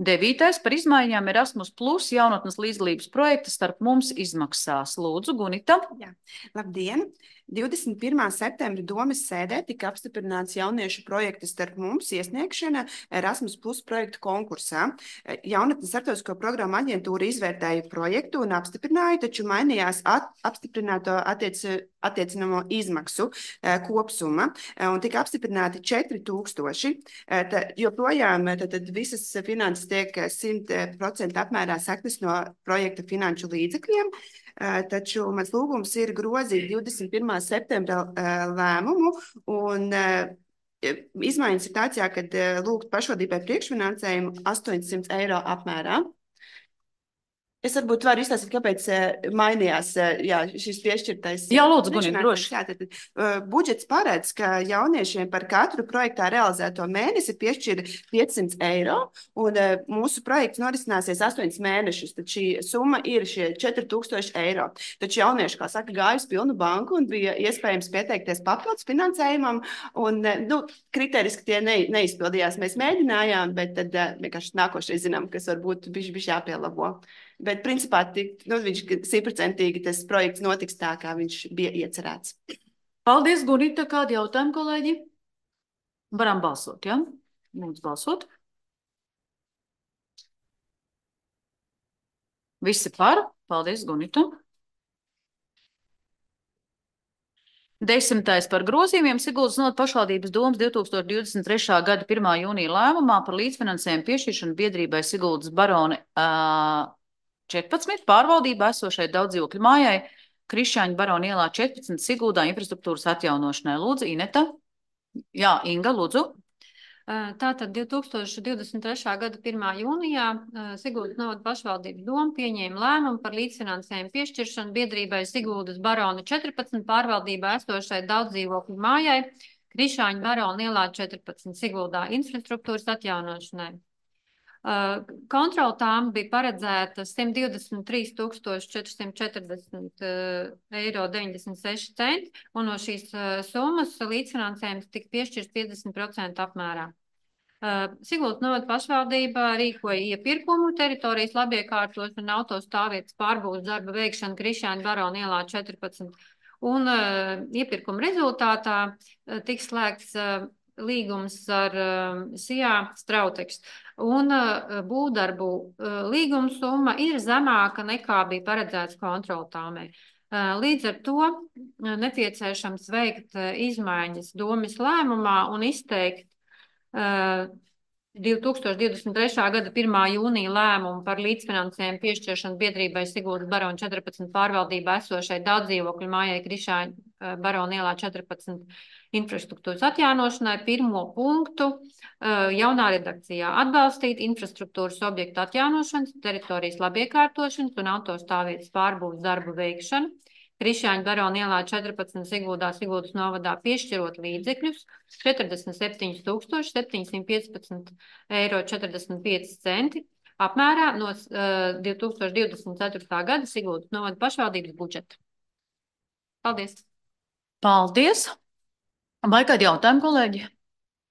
9. par izmaiņām Erasmus Plus jaunatnes līdzdalības projekta starp mums izmaksās. Lūdzu, Gunita. Jā. Labdien! 21. septembra domes sēdē tika apstiprināts jauniešu projekta starp mums iesniegšana Erasmus Plus projektu konkursā. Jaunatnes starptautisko programmu aģentūra izvērtēja projektu un apstiprināja, taču mainījās apstiprināto attiecinamo izmaksu kopsumma un tika apstiprināti 4000. Joprojām tad visas finanses tiek 100% apmērā sektas no projekta finanšu līdzekļiem. Taču mans lūgums ir grozīt 21. septembra lēmumu un izmaiņas ir tāds, kad lūgt pašvaldībai priekšfinansējumu 800 eiro apmērā. Es varbūt varu izstāstīt, kāpēc mainījās šis piešķirtais. Jā, lūdzu, Gunita, droši. Budžets paredz, ka jauniešiem par katru projektā realizēto mēnesi piešķir 500 eiro, un mūsu projekts norisināsies 8 mēnešus, tad šī summa ir šie 4000 eiro. Taču jaunieši, kā saka, gāja uz pilnu banku un bija iespējams pieteikties papildus finansējumam, un kriteriski tie neizpildījās. Mēs mēģinājām, bet tad vienkārši nākošais zinām, kas varbūt bišķi jāpielabo. Bet, principā, viņš 100% tas projekts notiks tā, kā viņš bija iecerēts. Paldies, Gunita. Kādi jautājumi, kolēģi? Varam balsot, ja? Lūdzu balsot. Visi par. Paldies, Gunita. 10. par grozījumiem Siguldas novada pašvaldības domes 2023. gada 1. jūnija lēmumā par līdzfinansējumu piešķiršanu biedrībai Siguldas Barone 14 pārvaldībā esošai daudzdzīvokļu mājai Krišāņu Barona ielā 14 Siguldā infrastruktūras atjaunošanai. Lūdzu, Ineta. Jā, Inga, lūdzu. Tātad 2023. gada 1. jūnijā Siguldas novada pašvaldības doma pieņēma lēmumu par līdzfinansējumu piešķiršanu biedrībai Siguldas Barona 14 pārvaldībā esošai daudzdzīvokļu mājai Krišāņu Barona ielā 14 Siguldā infrastruktūras atjaunošanai. Kontrola tām bija paredzēta 123 440 eiro 96 centi, un no šīs summas līdzfinansējums tika piešķirts 50% apmērā. Siguldas novada pašvaldība rīkoja iepirkumu teritorijas labiekārtošanu un autostāvvietas pārbūves darba veikšanu Krišāņu Barona ielā 14, un iepirkuma rezultātā tiks slēgts līgums ar SIA Strauteks. Un būvdarbu līguma summa ir zemāka nekā bija paredzēts kontroltāmē. Līdz ar to nepieciešams veikt izmaiņas domes lēmumā un izteikt 2023. gada 1. jūnija lēmumu par līdzfinansējumu piešķiršanu biedrībai Siguldas Barona 14 pārvaldībā esošai daudzdzīvokļu mājai Krišāņu Barona ielā 14 infrastruktūras atjaunošanai. Pirmo punktu jaunā redakcijā atbalstīt infrastruktūras objektu atjaunošanas, teritorijas labiekārtošanas un autostāvvietas pārbūves darbu veikšanu. Krišjāņa Barona ielā 14 Siguldā, Siguldas novadā piešķirot līdzekļus 47 715 eiro 45 centi apmērā no 2024. gada Siguldas novada pašvaldības budžeta. Paldies! Paldies! Vai kādi jautājumi, kolēģi?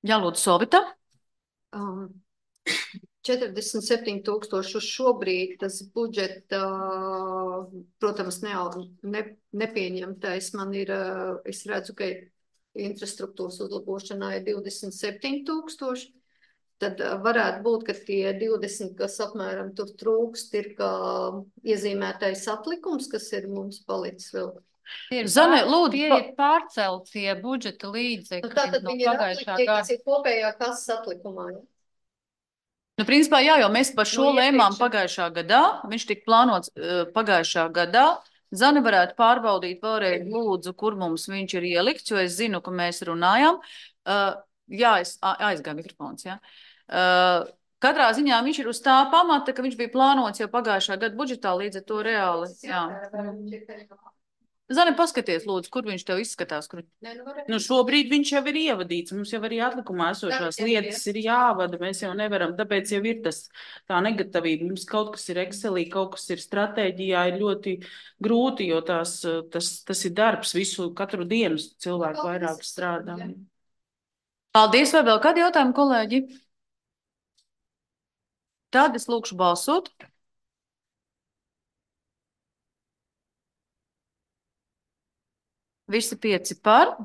Jā, lūdzu, Sovita. 47,000 uz šobrīd tas budžeta, protams, nepieņemtais. Man ir, es redzu, ka infrastruktūras uzlabošanā ir 27,000. Tad varētu būt, ka tie 20, kas apmēram tur trūkst, ir kā iezīmētais atlikums, kas ir mums palicis vēl. Zane, lūdzu, Tie ir pārceltie budžeta līdzekļi Tātad no viņi ir pagājušā atliktie, gada. kas ir kopējā kases atlikumā. Ja? Nu, principā, jā, jo mēs par šo No lēmām iepriekšējā. pagājušā gadā. Viņš tika plānots pagājušā gadā. Zane varētu pārbaudīt vēlreiz, lūdzu, kur mums viņš ir ielikts, jo es zinu, ka mēs runājām. Jā, es aizgāju mikrofons, jā. Katrā ziņā viņš ir uz tā pamata, ka viņš bija plānots jau pagājušā gada budžetā, līdz ar to reāli, jā. Zane, paskaties, lūdzu, kur viņš tev izskatās. Kur... Nu, šobrīd viņš jau ir ievadīts. Mums jau arī atlikumā esošās lietas ir jāvada. Mēs jau nevaram, tāpēc jau ir tā negatavība. Mums kaut kas ir Excelī, kaut kas ir stratēģijā, ir ļoti grūti, jo tas ir darbs katru dienu cilvēku vairāk strādā. Paldies, vai vēl kādi jautājumi, kolēģi? Tad es lūkšu balsot. Visi 5 par.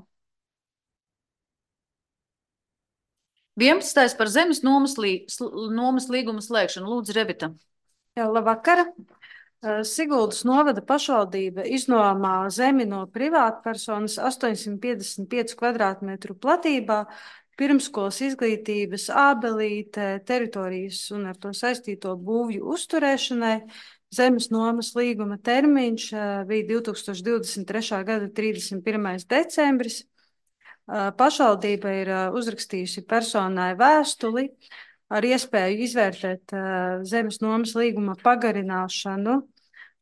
11. par zemes nomas līguma slēgšanu. Lūdzu, Revita. Jā, labvakar. Siguldas novada pašvaldība iznomā zemi no privātpersonas 855 kvadrātmetru platībā, pirmskolas izglītības ābelīte, teritorijas un ar to saistīto būvju uzturēšanai. Zemes nomas līguma termiņš bija 2023. gada 31. decembris. Pašvaldība ir uzrakstījusi personai vēstuli ar iespēju izvērtēt zemes nomas līguma pagarināšanu,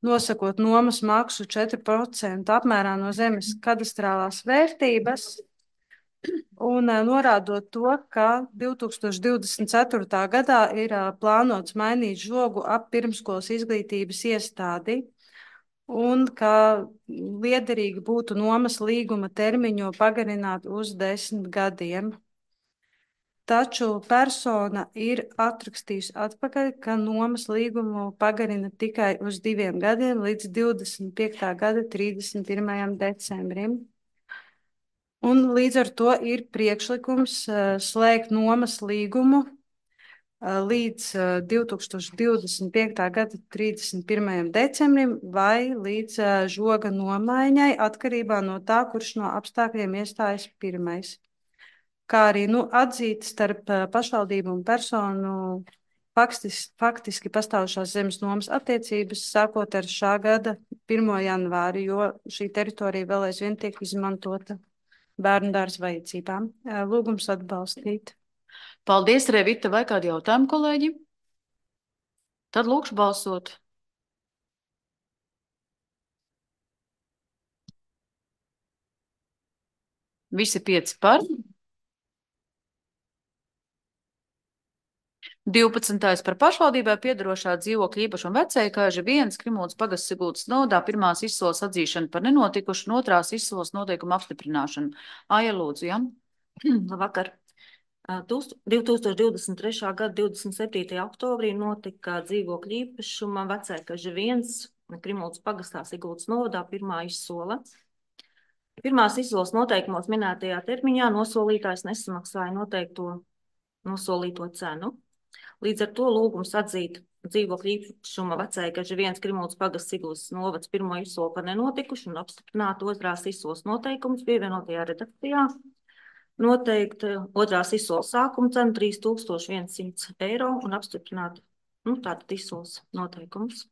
nosakot nomas maksu 4% apmērā no zemes kadastrālās vērtības un norādot to, ka 2024. gadā ir plānots mainīt žogu ap pirmskolas izglītības iestādi un ka liederīgi būtu nomas līguma termiņu pagarināt uz 10 gadiem. Taču persona ir atrakstījusi atpakaļ, ka nomas līgumu pagarina tikai uz 2 gadiem līdz 25. gada 31. decembrim. Un līdz ar to ir priekšlikums slēgt nomas līgumu līdz 2025. gada 31. decembrim vai līdz žoga nomaiņai atkarībā no tā, kurš no apstākļiem iestājas pirmais. Kā arī atzīt starp pašvaldību un personu faktiski pastāvošās zemes nomas attiecības sākot ar šā gada 1. janvāri, jo šī teritorija vēl aizvien tiek izmantota bērnu dārza vajadzībām. Lūgums atbalstīt. Paldies, Revita. Vai kādi jautājumi, kolēģi? Tad lūkšu balsot. Visi 5 par. 12. par pašvaldībai piedarošā dzīvokļa īpašuma vecējkāža 1 Krimuldas pagasts Siguldas novadā pirmās izsoles atzīšana par nenotikušu un otrās izsoles noteikumu apstiprināšanu. Aija, lūdzu, ja? Labvakar. 2023. gada 27. oktobrī notika dzīvokļa īpašuma vecējkāža 1 Krimuldas pagastā Siguldas novadā pirmā izsole. Pirmās izsoles noteikumos minētajā termiņā nosolītājs nesamaksāja nosolīto cenu. Līdz ar to lūgums atzīt dzīvokļa īpašuma vecējkāža 1 Krimuldas pagasts Siguldas novads pirmo izsoli par nenotikušu un apstiprināt otrās izsoles noteikumus pievienotajā redakcijā. Noteikt otrās izsoles sākuma cenu 3100 eiro un apstiprināt tātad izsoles noteikumus.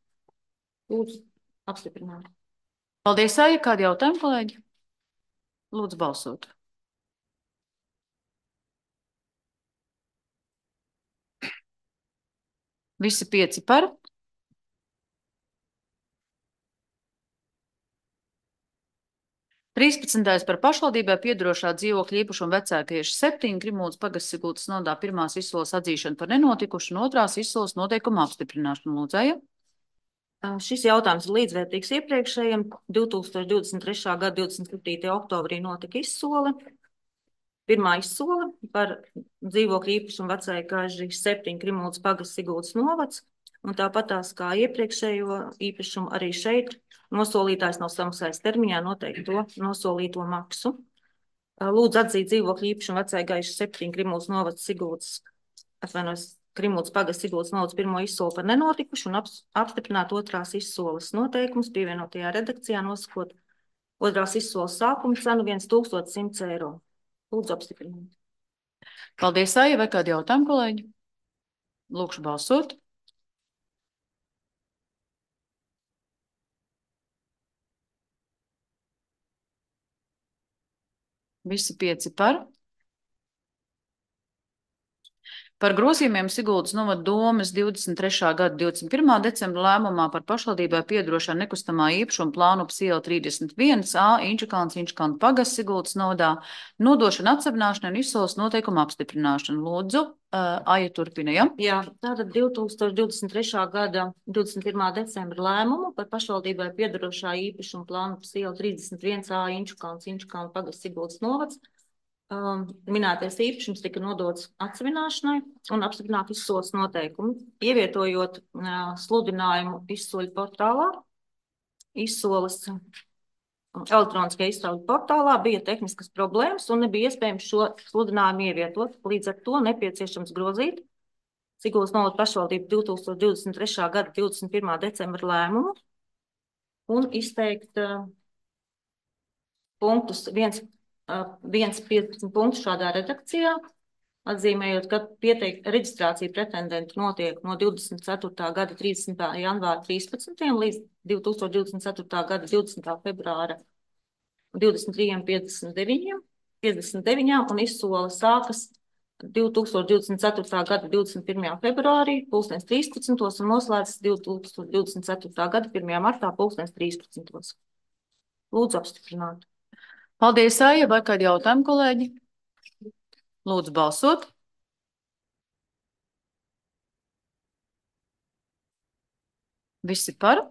Lūdzu, apstiprināt. Paldies, Aija. Kādi jautājumi, kolēģi? Lūdzu, balsot. Visi 5 par. 13. par pašvaldībai piedarošā dzīvokļa īpašuma vecākieši 7, Krimūdas pagasts Sigultas novadā pirmās izsoles atzīšana par nenotikušu un otrās izsoles noteikuma apstiprināšanu. Lūdzēja. Šis jautājums ir līdzvērtīgs iepriekšējiem. 2023. gada 27. oktobrī notika izsole. Pirmā izsole par dzīvokļa īpašumu vecākieši 7, Krimūdas pagasts Sigultas novads. Un tāpatās kā iepriekšējo īpašumu arī šeit nosolītājs nav samaksājis termiņā noteikto nosolīto maksu. Lūdzu atzīt dzīvokļa īpašumu vecākieši 7, Krimūdas novads Sigultas, Krimūdas pagasts Sigultas novads pirmo izsoli par nenotikušu un apstiprināt otrās izsoles noteikumus pievienotajā redakcijā nosakot otrās izsoles sākuma cenu 1100 eiro. Lūdzu apstiprināt. Paldies, Aija. Vai kādi jautājumi, kolēģi? Lūkšu balsot. Visi 5 par. Par grozījumiem Sigultas novada domes 23. gada 21. decembra lēmumā par pašvaldībai piedarošā nekustamā īpašuma plānu iela 31A Inčukalns pagasts Sigultas novadā nodošana atsevināšana un izsoles noteikuma apstiprināšana. Lūdzu, Aija turpina, ja? Jā, tātad 2023. gada 21. decembra lēmumu par pašvaldībai piedarošā īpašuma plānu iela 31A Inčukalns pagasts Sigultas novads. Minētais īpašums tika nodots atsevināšanai un apstiprināt izsoles noteikumu, ievietojot sludinājumu izsoļu portālā. Izsoles elektroniskajā izsoļu portālā bija tehniskas problēmas un nebija iespējams šo sludinājumu ievietot. Līdz ar to nepieciešams grozīt Sigultas novada pašvaldību 2023. gada 21. decembra lēmumu un izteikt punktus 1.15 punktus šādā redakcijā, atzīmējot, ka reģistrācija pretendentu notiek no 24. gada 30. janvāra 13. līdz 2024. gada 20. februāra 23.59 un izsole sākas 2024. gada 21. februārī 13. un noslēdzas 2024. gada 1. martā 13. Lūdzu apstiprināt. Paldies, Aija. Vai kādi jautājumi, kolēģi? Lūdzu balsot. Visi par.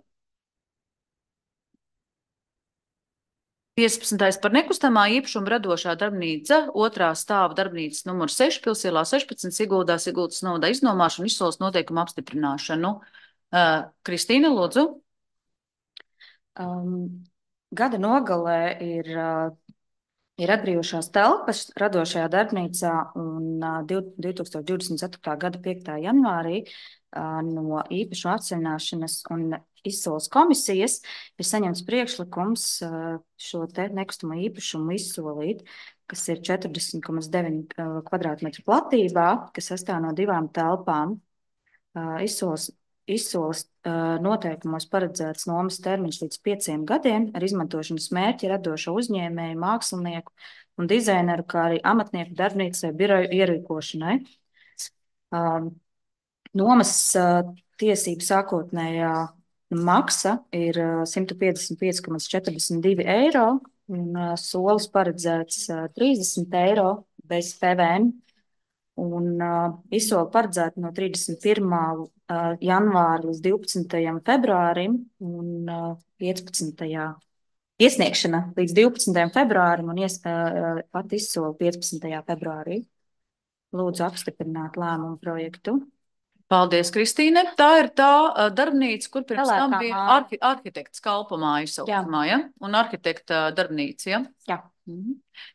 15. par nekustamā īpašuma radošā darbnīca, otrā stāva darbnīcas numur 6, Pilsielā 16, Sigultas novadā iznomāšanu, izsoles noteikumu apstiprināšanu. Kristīna, lūdzu. Gada nogalē ir atbrīvošās telpas radošajā darbnīcā un 2024. gada 5. janvārī no īpašuma atsevināšanas un izsoles komisijas ir saņemts priekšlikums šo te nekustamo īpašumu izsolīt, kas ir 40,9 kvadrātmetru platībā, kas sastāv no 2 telpām. Izsoles noteikumos paredzēts nomas termiņš līdz 5 gadiem ar izmantošanas mērķi radošo uzņēmēju, mākslinieku un dizaineru, kā arī amatnieku darbnīcai biroju ierīkošanai. Nomas tiesību sākotnējā maksa ir 155,42 eiro un solis paredzēts 30 eiro bez PVN. Un izsole paredzēta no 31. janvāra līdz 12. februārim un 15. iesniegšana līdz 12. februārim un pat izsole 15. februārī. Lūdzu apstiprināt lēmumu projektu. Paldies, Kristīne. Tā ir tā darbnīca, kur pirms tam bija arhitekts kalpamā izsaukumā, ja? Un arhitekta darbnīca, ja? Jā.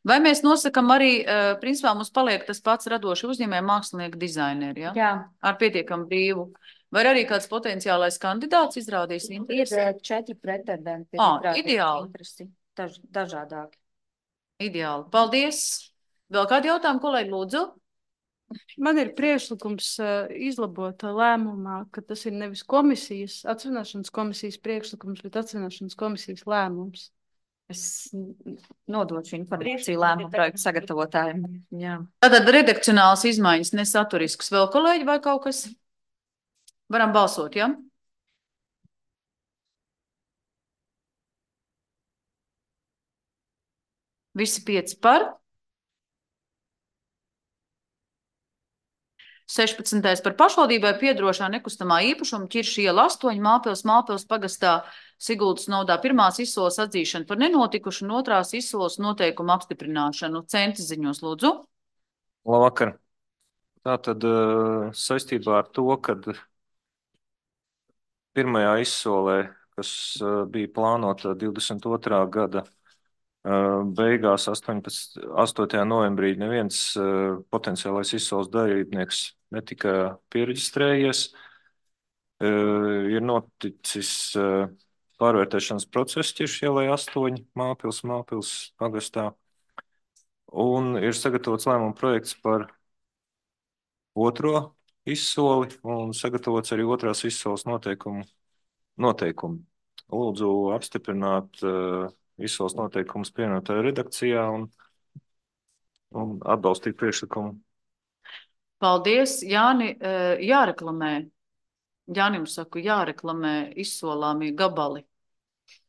Vai mēs nosakam arī, principā mums paliek tas pats radoši uzņēmēji mākslinieki dizaineri, ja? Jā. Ar pietiekam brīvu. Vai arī kāds potenciālais kandidāts izrādīs interesi? Ir 4 pretendenti. Ideāli. Dažādāki. Ideāli. Paldies. Vēl kādi jautājumi, kolēģi, lūdzu? Man ir priekšlikums izlabot lēmumā, ka tas ir nevis atsevināšanas komisijas priekšlikums, bet atsevināšanas komisijas lēmums. Es nodošu informāciju lēmumu projektu sagatavotājiem. Jā. Tātad redakcionāls izmaiņas nesaturisks. Vēl kolēģi vai kaut kas? Varam balsot, ja? Visi 5 par. 16. par pašvaldībai piedrošā nekustamā īpašuma Ķirša iela 8 Mālpils pagastā Siguldas novadā pirmās izsoles atzīšana par nenotikušu un otrās izsoles noteikumu apstiprināšanu. Centi ziņos, lūdzu. Labvakar. Tātad saistībā ar to, kad pirmajā izsolē, kas bija plānota 22. gada beigās 8. novembrī, neviens potenciālais izsoles dalībnieks netika piereģistrējies. Ir noticis pārvērtēšanas process Ķirša ielai 8 Mālpils pagastā, un ir sagatavots lēmuma projekts par otro izsoli un sagatavots arī otrās izsoles noteikumi. Lūdzu apstiprināt izsoles noteikumus pievienotajā redakcijā un atbalstīt priekšlikumu. Paldies, Jāni. Jāreklamē. Jānim saku, jāreklamē izsolāmie gabali.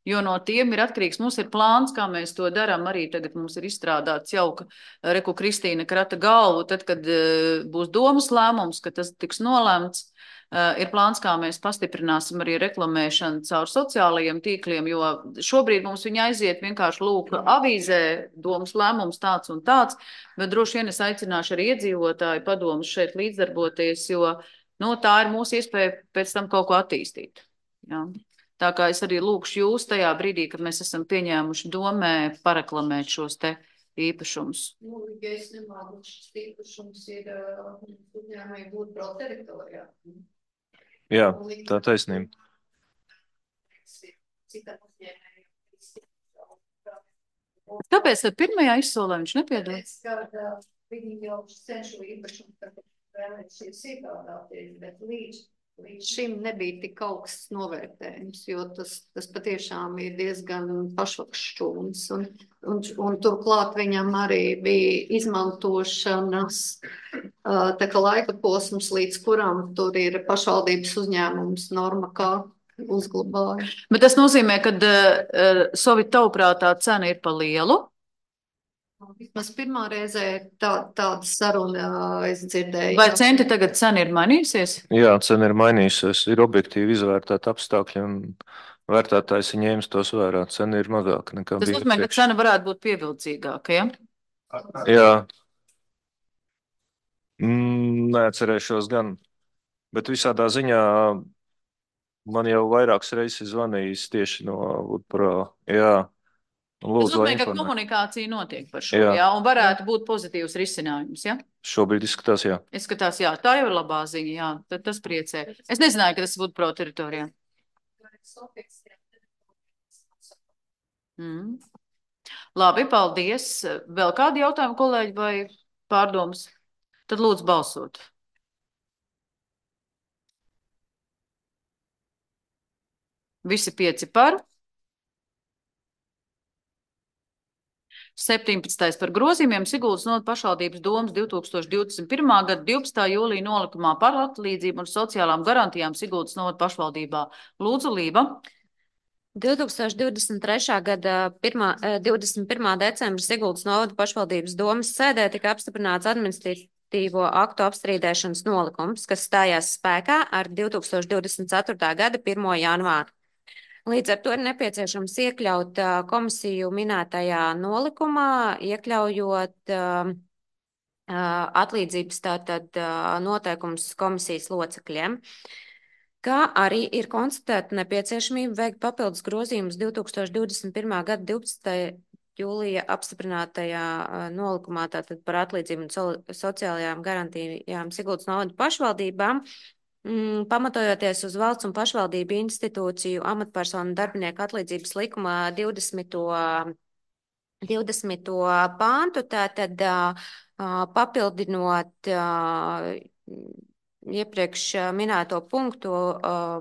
Jo no tiem ir atkarīgs. Mums ir plāns, kā mēs to darām. Arī tagad mums ir izstrādāts jauka Reku Kristīna krata galvu. Tad, kad būs domas lēmums, ka tas tiks nolēmts, ir plāns, kā mēs pastiprināsim arī reklamēšanu caur sociālajiem tīkliem, jo šobrīd mums viņa aiziet vienkārši lūk avīzē, domas lēmums tāds un tāds, bet droši vien es aicināšu arī iedzīvotāju padomus šeit līdzdarboties, jo tā ir mūsu iespēja pēc tam kaut ko attīstīt. Jā. Tā kā es arī lūkšu jūs tajā brīdī, kad mēs esam pieņēmuši domē pareklamēt šos te īpašumus. Ja es nemāku, šis īpašums ir uzņēmēji būt proteritorijā. Jā, tā taisnība. Kāpēc tad pirmajā izsolē viņš nepiedalās? Viņi jau cenšu īpašumu, kad vēlēšies iegādāties, bet līdz šim nebija tik augsts novērtējums, jo tas patiešām ir diezgan pašvakšķūns. Un turklāt viņam arī bija izmantošanas tā kā laika posms, līdz kuram tur ir pašvaldības uzņēmums norma kā uzglabāja. Bet tas nozīmē, ka Sovit tavuprāt tā cena ir pa lielu? Vismaz pirmā reizē tāda saruna es dzirdēju. Vai centi tagad cena ir mainījusies? Jā, cena ir mainījusies. Ir objektīvi izvērtēti apstākļi un vērtētājs ir ņēmis tos vērā. Cena ir mazāka nekā bija. Tas nozīmē, ka cena varētu būt pievilcīgāka, ja? Jā. Neatcerēšos gan. Bet visādā ziņā man jau vairākas reizes zvanījis tieši no Woodpro. Jā. Tas nozīmē, ka komunikācija notiek par šo, jā, un varētu būt pozitīvs risinājums, jā? Šobrīd izskatās, jā. Izskatās, jā. Tā jau ir labā ziņa, jā. Tad tas priecē. Es nezināju, ka tas būtu pro teritorijā. Labi, paldies. Vēl kādi jautājumi, kolēģi, vai pārdomas? Tad lūdzu balsot. Visi 5 par. 17. par grozījumiem Siguldas novada pašvaldības domas 2021. gada 12. jūlija nolikumā par atlīdzību un sociālām garantijām Siguldas novada pašvaldībā. Lūdzu, Lība. 2023. gada 21. decembra Siguldas novada pašvaldības domas sēdē tika apstiprināts administratīvo aktu apstrīdēšanas nolikums, kas stājās spēkā ar 2024. gada 1. janvāru. Līdz ar to ir nepieciešams iekļaut komisiju minētajā nolikumā, iekļaujot atlīdzības tātad noteikums komisijas locekļiem, kā arī ir konstatēta nepieciešamība veikt papildus grozījumus 2021. gada 12. jūlija apstiprinātajā nolikumā tātad par atlīdzību un sociālajām garantijām Siguldas novada pašvaldībām, pamatojoties uz valsts un pašvaldību institūciju amatpersonu darbinieku atlīdzības likuma 20. pāntu, tātad papildinot iepriekš minēto punktu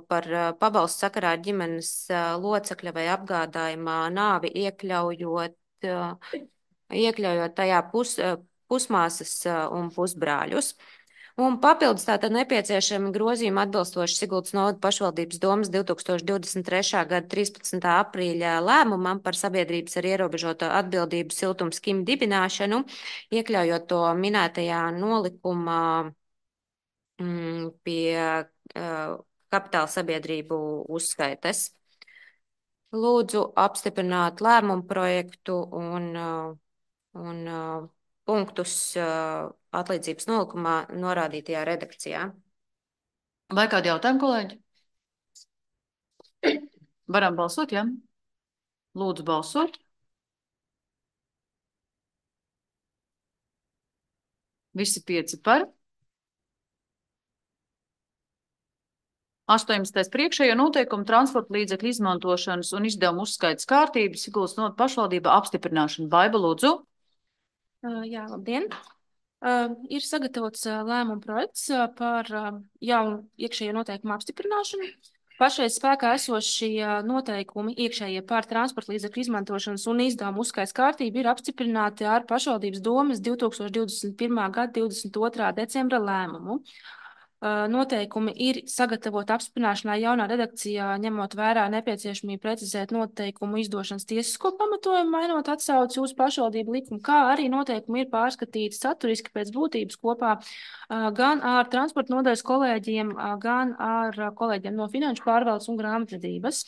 par pabalstu sakarā ar ģimenes locekļa vai apgādājumā nāvi, iekļaujot tajā pusmāsas un pusbrāļus. Un papildus tātad nepieciešami grozījumi atbilstoši Siguldas novada pašvaldības domas 2023. gada 13. aprīļa lēmumam par sabiedrības ar ierobežoto atbildību siltums kim dibināšanu, iekļaujot to minētajā nolikumā pie kapitāla sabiedrību uzskaites. Lūdzu apstiprināt lēmumu projektu un punktus atlīdzības nolikumā norādītajā redakcijā. Vai kādi jautājumi, kolēģi? Varam balsot, ja? Lūdzu balsot. Visi 5 par. 18. priekšējo noteikumu transporta līdzekļu izmantošanas un izdevumu uzskaitas kārtības Siguldas novada pašvaldība apstiprināšana. Baiba, lūdzu. Jā, labdien! Ir sagatavots lēmuma projekts par jaunu iekšējo noteikumu apstiprināšanu. Pašreiz spēkā esošie noteikumi iekšējie par transporta līdzekļu izmantošanas un izdevumu uzskaitas kārtību ir apstiprināti ar pašvaldības domas 2021. gada 22. decembra lēmumu. Noteikumi ir sagatavoti apstiprināšanai jaunā redakcijā, ņemot vērā nepieciešamību precizēt noteikumu izdošanas tiesisko pamatojumu, mainot atsauci uz pašvaldību likumu, kā arī noteikumi ir pārskatīti saturiski pēc būtības kopā gan ar transporta nodaļas kolēģiem, gan ar kolēģiem no finanšu pārvaldes un grāmatvedības.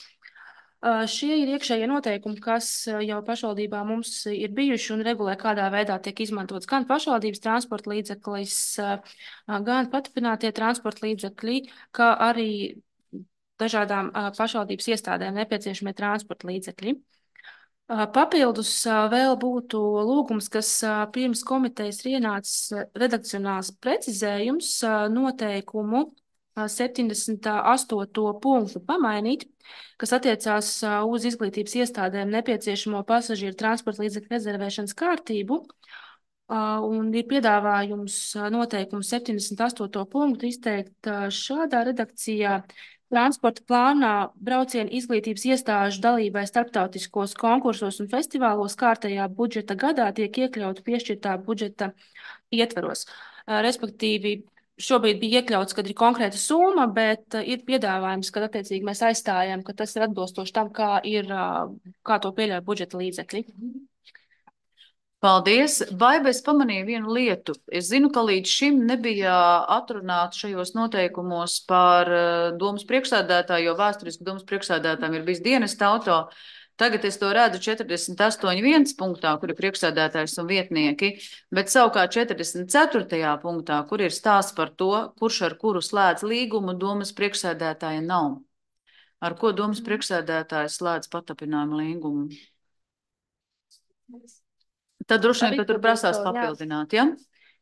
Šie ir iekšējie noteikumi, kas jau pašvaldībā mums ir bijuši un regulē, kādā veidā tiek izmantots gan pašvaldības transporta līdzeklis, gan pastiprinātie transporta līdzekļi, kā arī dažādām pašvaldības iestādēm nepieciešamie transporta līdzekļi. Papildus vēl būtu lūgums, kas pirms komitejas ir ienācis redakcionāls precizējums noteikumu 78. punktu pamainīt, kas attiecās uz izglītības iestādēm nepieciešamo pasažieru transporta līdzekļu rezervēšanas kārtību, un ir piedāvājums noteikumu 78. punktu izteikt šādā redakcijā. Transporta plānā braucienu izglītības iestāžu dalībai starptautiskos konkursos un festivālos kārtējā budžeta gadā tiek iekļauta piešķirtā budžeta ietvaros. Respektīvi, šobrīd bija iekļauts, kad ir konkrēta summa, bet ir piedāvājums, kad attiecīgi mēs aizstājam, ka tas ir atbilstoši tam, kā to pieļauj budžeta līdzekļi. Paldies! Baiba, es pamanīju vienu lietu. Es zinu, ka līdz šim nebija atrunāts šajos noteikumos par domas priekšsēdētāju, jo vēsturiski domas priekšsēdētājiem ir bijis dienesta auto. Tagad es to redzu 48.1 punktā, kur ir priekšsēdētājs un vietnieki, bet savukārt 44. punktā, kur ir stāsts par to, kurš ar kuru slēdz līgumu, domas priekšsēdētāja nav. Ar ko domas priekšsēdētājs slēdz patapinājumu līgumu? Tad droši vien, ka tur prasās papildināt, ja?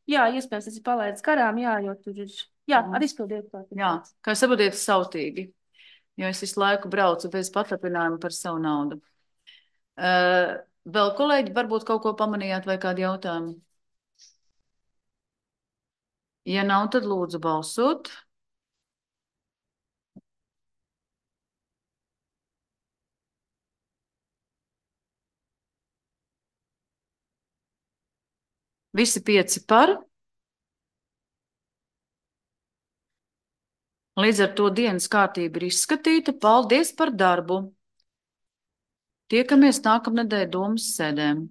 Jā, iespējams, tas ir palaidis garām, jā, jo tur ir, jā, ar izpildiet. Jā, kā saprotiet, sautīgi, jo es visu laiku braucu bez patapinājuma par savu naudu. Vēl kolēģi, varbūt kaut ko pamanījāt vai kādu jautājumu? Ja nav, tad lūdzu balsot. Visi 5 par. Līdz ar to dienas kārtība ir izskatīta. Paldies par darbu! Tiekamies nākamnedēļ domas sēdēm.